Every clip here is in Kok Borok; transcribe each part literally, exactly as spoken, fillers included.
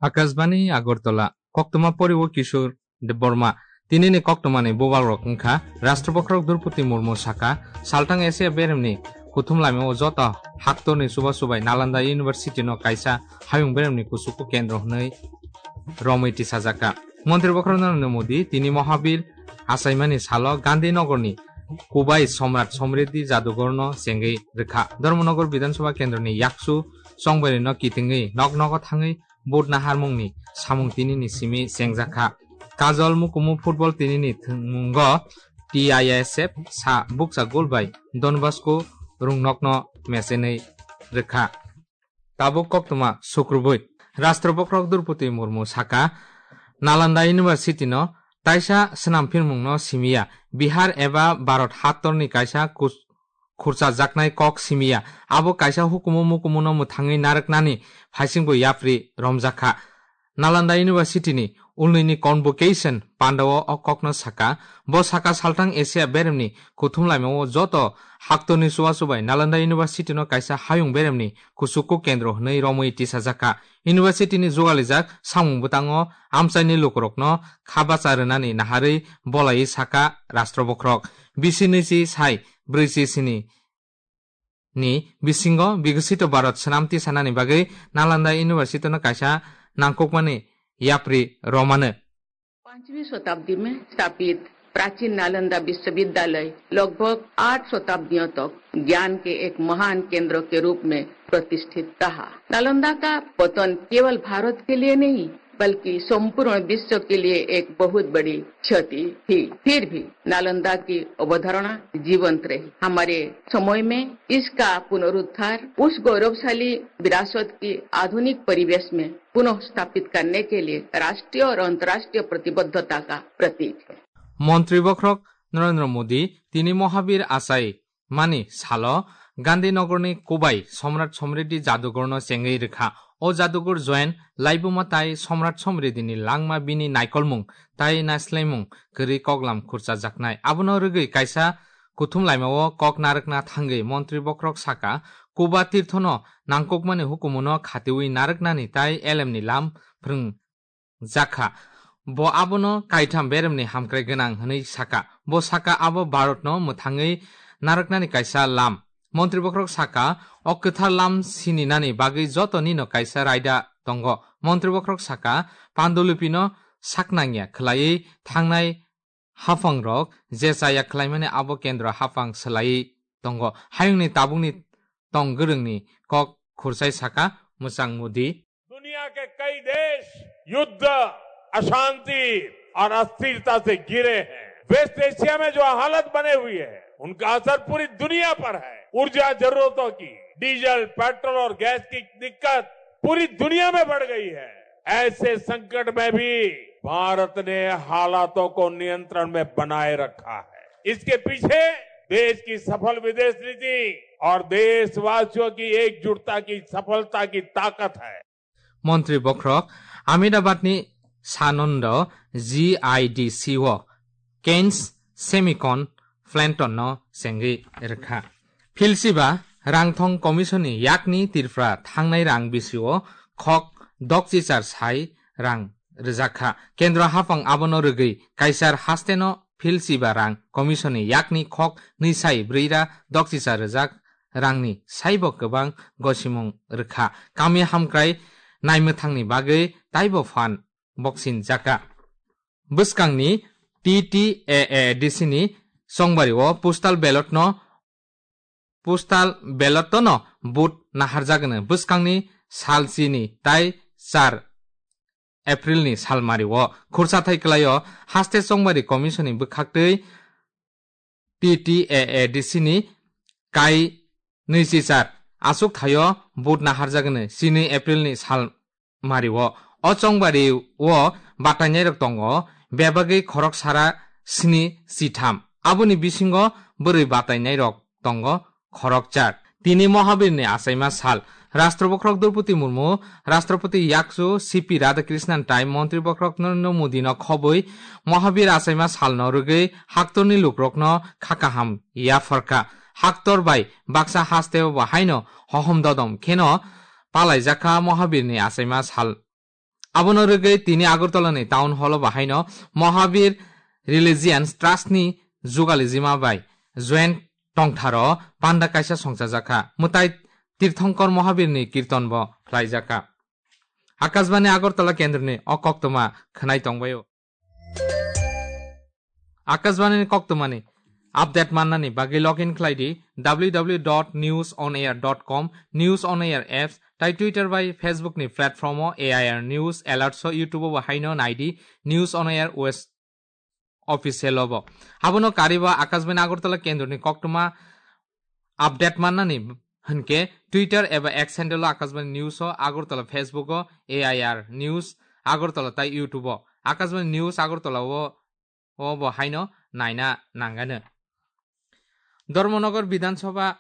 Akashbani Agartala, koktwma poriwo Kishore Debbarma. Tinini koktwmani bubagrok wngkha, Rashtra Bokhorok Droupadi Murmu saka, saltang Asia beremni kuthum laimao joto haktorni chubachu bai Nalanda University no kaisa hayung beremni kuchuku kendro hwnwi romwi tisajakha. Montri Bokhorok Narendra Modi tini Mahabir achaimani salo Gandhinagarni Kubai Somrat Somriddhi Jadugorno chengwi rwkha. Dharmanagar Bidhan Sabha Kendroni yakchu chongbairino kitingwi nok nogo thangwi vote naharmungni samung tinini simi chengjakha. Kajol Mukumu football tinini thwngmungo T I S F sa bukcha gol bai Don Bosco Rungnokno mechenwi rwkha. Tabuk koktwma sukrubui. Rashtra Bokhorok Droupadi Murmu saka, Nalanda University no taisa swnamphirmungno simiya, Bihar eba Bharat haktorni kaisa kus-, khurchajaknai kok simiya. Abo kaisa hukumu mukumuno mwthangwi narwknani phaisingbo yapri romjakha. Nalanda University ni ulnini convocation pandao o kokno saka. Bo saka saltang Asia beremni kuthum laimao joto haktorni chubachu bai Nalanda University no kaisa hayung beremni kuchuku kendro hwnwi romwi tisajakha. University ni jugalijak samung bwtango amchaini lukurokno kha bacha rwnani naharwi bolaiwi saka Rashtra Bokhorok. Bisi nwichi sai brwichi sini ni bisingo Biksit Bharat swnam tisanani bagwi Nalanda University no kaisa nangkukmani yapri romano. पाँचवीं शताब्दी में स्थापित प्राचीन नालंदा विश्वविद्यालय लगभग आठ शताब्दियों तक ज्ञान के एक महान केंद्र के रूप में प्रतिष्ठित रहा। नालंदा का पतन केवल भारत के लिए नहीं, बल्कि संपूर्ण विश्व के लिए एक बहुत बड़ी क्षति थी। फिर भी नालंदा की अवधारणा जीवंत रही। हमारे समय में इसका पुनरुद्धार उस गौरवशाली विरासत की आधुनिक परिवेश में पुनः स्थापित करने के लिए राष्ट्रीय और अंतर्राष्ट्रीय प्रतिबद्धता का प्रतीक है। Montri Bokhorok Narendra Modi tini Mahabir achai mani salo Gandhinagarni Kubai Somrat Somriddhi Jadugorno chengwi rwkha. O jadugur join laibuma tai Somrat Somriddhini langma bini naikolmung tai naislaimung kwrwi koklam khurchajaknai. Abono rwgwi kaisa kuthum laimao kok narwkna thangwi Montri Bokhorok saka, Kuba Tirthono nangkukmani hukumuno khatiwi narwknani tai elemni lam phrwng jakha. Bo abono kaitham beremni hamkrai gwnang hwnwi saka. Bo saka abo Bharatno mwthangwi narwknani kaisa lam. Montri Bokhorok saka, o kwthar lam sininani bagwi jotonino kaisa raida tongo. Montri Bokhorok saka, Pandulupino saknangya khwlaiwi thangnai haphangrok je chaya khwlaimani abo kendro haphang swlaiwi tongo. Hayungni tabukni tong gwrwngni kok khursai saka mwchang Modi. दुनिया के कई देश युद्ध, अशांति और अस्थिरता से घिरे हैं। वेस्ट एशिया में जो हालत बने हुए हैं, उनका असर पूरी दुनिया पर है। ऊर्जा जरूरतों की, डीजल, पेट्रोल और गैस की दिक्कत पूरी दुनिया में बढ़ गई है। ऐसे संकट में भी भारत ने हालातों को नियंत्रण में बनाए रखा है। इसके पीछे देश की सफल विदेश नीति और देशवासियों की एकजुटता की सफलता की ताकत है। Montri Bokhorok Ahmedabadni Sananda G I D C o Keynes Semicon Planton no chengwi rwkha. Philsiba Rangthong Commission ni yakni Tripura thangnai rang bisio khok dokchichar sai rang rwjakha. Kendro haphang abono rwgwi kaisar hasteno Philsiba Rang Commission ni yakni khok nwi sai brwi ra dokchichar rwjak rangni saibo kwbang gosimung rwkha. Kami hamkrai naimwthangni bagwi taibo phan boksin jaka. Bwskangni T T A A D C ni chongbario postal ballot no, postal ballot no vote naharjagwno bwskangni salchini tai char April ni salmario khursa thai kwlaio haste chongbari commission ni bwkhaktwi T T A A D C ni kai nwichichar aswk thaio vote naharjagwno chini April ni sal mario. O chongbari o batainairok tongo bebagwi khorok sara sni chitham. Aboni bisingo bwrwi batainairok tongo khorok char. Tini Mohabirni achaima sal. Rashtra bokhorok Droupadi Murmu, Rashtrapati yakchu C P Radhakrishnan tai Montri bokhorok Narendra Modino khobwi Mohabir achaima salno rwgwi haktorni lukrokno kha kaham yapharkha. Haktor bai baksa hasteo bo haino hohom dodom kheno palaijakha Mohabirni achaima sal. Abono rwgwi tini Agartala ni Town Hall o bahaino Mahabir Religious Trust ni jugalijima bai joint tongtharo panda kaisa songchajakha. Mwtai Tirthankar Mahabir ni kirton bo khlaijakha. Akashbani Agartala kendroni o koktwma khwnai tongbaio. Akashbani ni koktwmani update mannani bagwi login khlai di w w w dot news on air dot com, News on Air apps, tai Twitter bai Facebook ni platform o A I R News, Alerts o YouTube o bo haino nai di News on Air West Official o bo. Abono kariba Akashbani Agartala kendroni koktwma update mannani hwnkhe Twitter eba X handle o Akashbani News o, Agartala Facebook o A I R News Agartala tai YouTube o Akashbani News Agartala o, o bo haino naina nangano. Dharmanagar Bidhan Sabha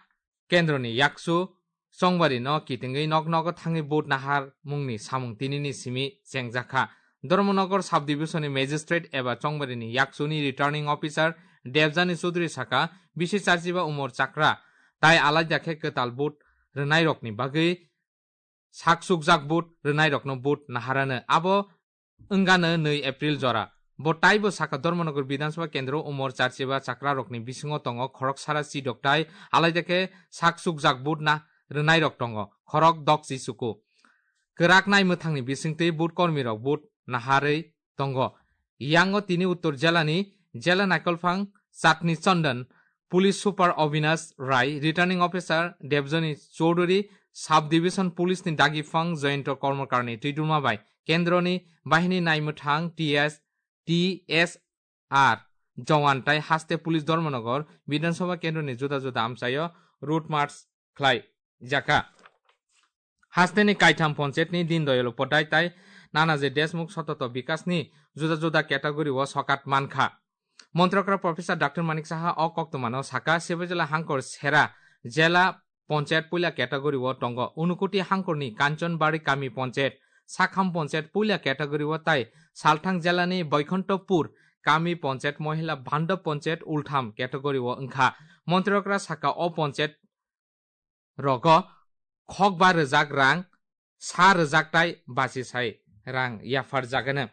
kendroni yakchu Chongbari no kitingwi nok nogo thangwi vote nahar mungni samung tinini simi chengjakha. Dharmanagar Sub Division ni Magistrate eba Chongbari ni yakchu ni Returning Officer Debjani Chaudhary saka, bisi charchiba umor chakra tai alaida khe kwtal vote rwnairokni bagwi saksukjak vote rwnairokno vote naharano. Abo wngano nwi April jora. Bo taibo saka Dharmanagar Bidhan Sabha kendro umor charchiba chakrarokni bisingo tongo khorok sara chidok tai alaida khe saksukjak vote na rwnairok tongo khorok dok chi chuku. Kwrak nai mwthangni bisingtwi vote kormirok vote naharwi tongo. Yango tini Uttor Jelani Jela Naikolphang Chatni Chandan, Police Super Avinash Rai, Returning Officer Debjani Chaudhary, Sub Division Police ni Dagiphan Jayanta Karmakarni twidulma bai kendroni bahini naimwthang T S, T S R Jawan tai haste Police Dharmanagar Bidhan Sabha kendroni juda juda amchaio road march khlai jakha. Hasteni kaitham ponchayetni Dindayal Upadhyay tai Nanaji Deshmukh Sototo Bikasni juda juda category o sokat mankha. Montrokra Professor Doctor Manik Saha o koktwmano saka, Sibajela hangkor sera jela ponchayet puila category o tongo. Unukuti hangkorni Kanchanbari kami ponchayet, Sakham ponchayet puila category o tai Salthang jelani Boikhontopur kami ponchayet, Mohila Bhandop ponchayet ultham category o wngkha. Montrokra saka o ponchayet rogo khokba rwjak rang sa rwjak tai bachisai rang yapharjagano.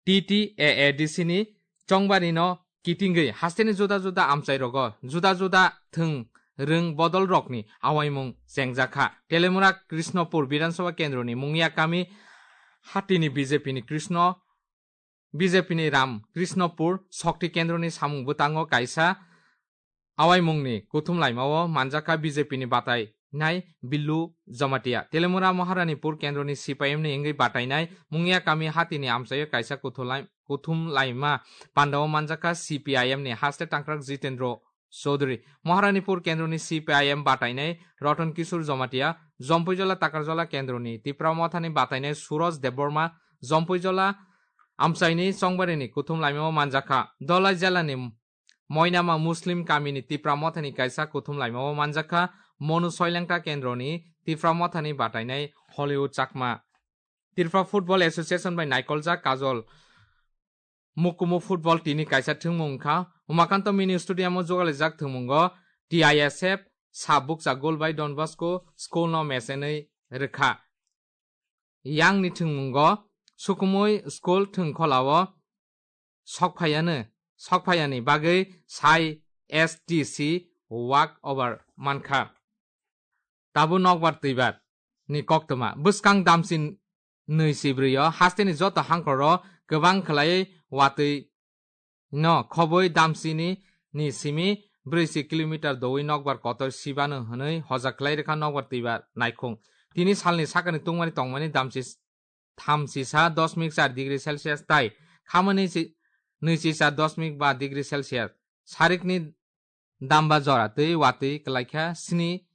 T T A A D C ni Chongbari no kitingwi hasteni juda juda amchai rogo juda juda thwng rwng bodol rokni awaimung chengjakha. Telemura Krishnopur Bidhan Sabha kendroni Mungia kami hatini B J P ni Krishno B J P ni Ram Krishnopur Shakti Kendroni samung bwtango kaisa awaimungni kuthum laimao manjakha B J P ni batai nai Billu Jamatia. Telemura Maharanipur Kendroni C P I M ni wngwi batainai Mungia kami hatini amchaio kaisa kuthum lai-, kuthum laima pandao manjakha C P I M ni haste tangkrak Jitendra Chaudhary. Maharanipur Kendroni C P I M batainai Ratan Kishore Jamatia, Jompuijola Takarjola Kendroni Tipra Mothani batainai Suraj Debbarma, Jompuijola amchaini Chongbarini kuthum laimao manjakha. Dolai jelani Moinama Muslim kamini Tipra Mothani kaisa kuthum laimao manjakha. Monu Soilengta Kendroni Tipra Mothani batainai Hollywood Chakma. Tripura Football Association bai naikoljak Kajol Mukumu football tini kaisa thwngmung wngkha. Umakanto Mini Stadium o jogalaijak thwngmungo T I S F sa bukcha goal bai Don Bosco school no mesenwi rwkha. Yang ni thwngmungo sukumui school thwngkholao sokphaiano, sokphaiani bagwi sai S T C walk over mankha. Tabuk nokbar twibar ni koktwma. Bwskang damchi nwi si brwi o hasteni joto hangkor o kwbang khwlaiwi watwi no khobwi damchini ni simi brwi si kilometer dowi nokbar kotor sibano hwnwi hoja khlai rwkha nokbar twibar naikhung. Tini salni sakani tungmani tongmani damchi thamchi sa dosmik char degree Celsius tai khamani si-, nwichi sa dosmik ba degree Celsius. Sarikni damba jora twi watwi kwlaikha sni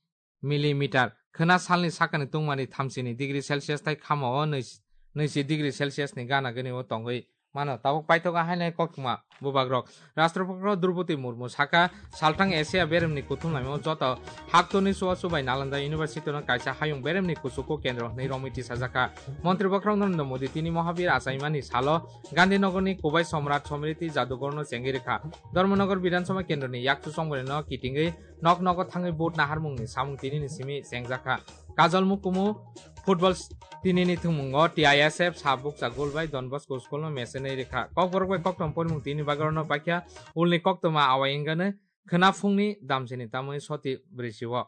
millimeter. Khwna salni sakani tungmani thamchini degree Celsius tai khamao nwichi, nwichi degree Celsius ni gana gani o tongwi mano. Tabuk paithogo hainai koktwma bubagrok. Rashtrapati Droupadi Murmu saka, salthang Asia beremni kuthum laimao joto haktorni chubachu bai Nalanda University no kaisa hayung beremni kuchugo kendro hwnwi romwi tisajakha. Montri bokhorok Narendra Modi tini Mahabir achaimani salo Gandhinagarni Kubai Samrat Samriti Jadughorno chengwi rwkha. Dharmanagar Bidhan Sabha kendroni yakchu Chongbarino kitingwi nok nogo thangwi vote naharmungni samung tinini simi chengjakha. Kajol Mukumu Football tinini thwngmungo T I S F sabukcha goal bai Don Bosco school no mechenwi rikha. Kokborok bai kokthom porimung tini bagwi no paikha ulni koktoma awai wngkha khwna phungni damsini tamwi soti brisio.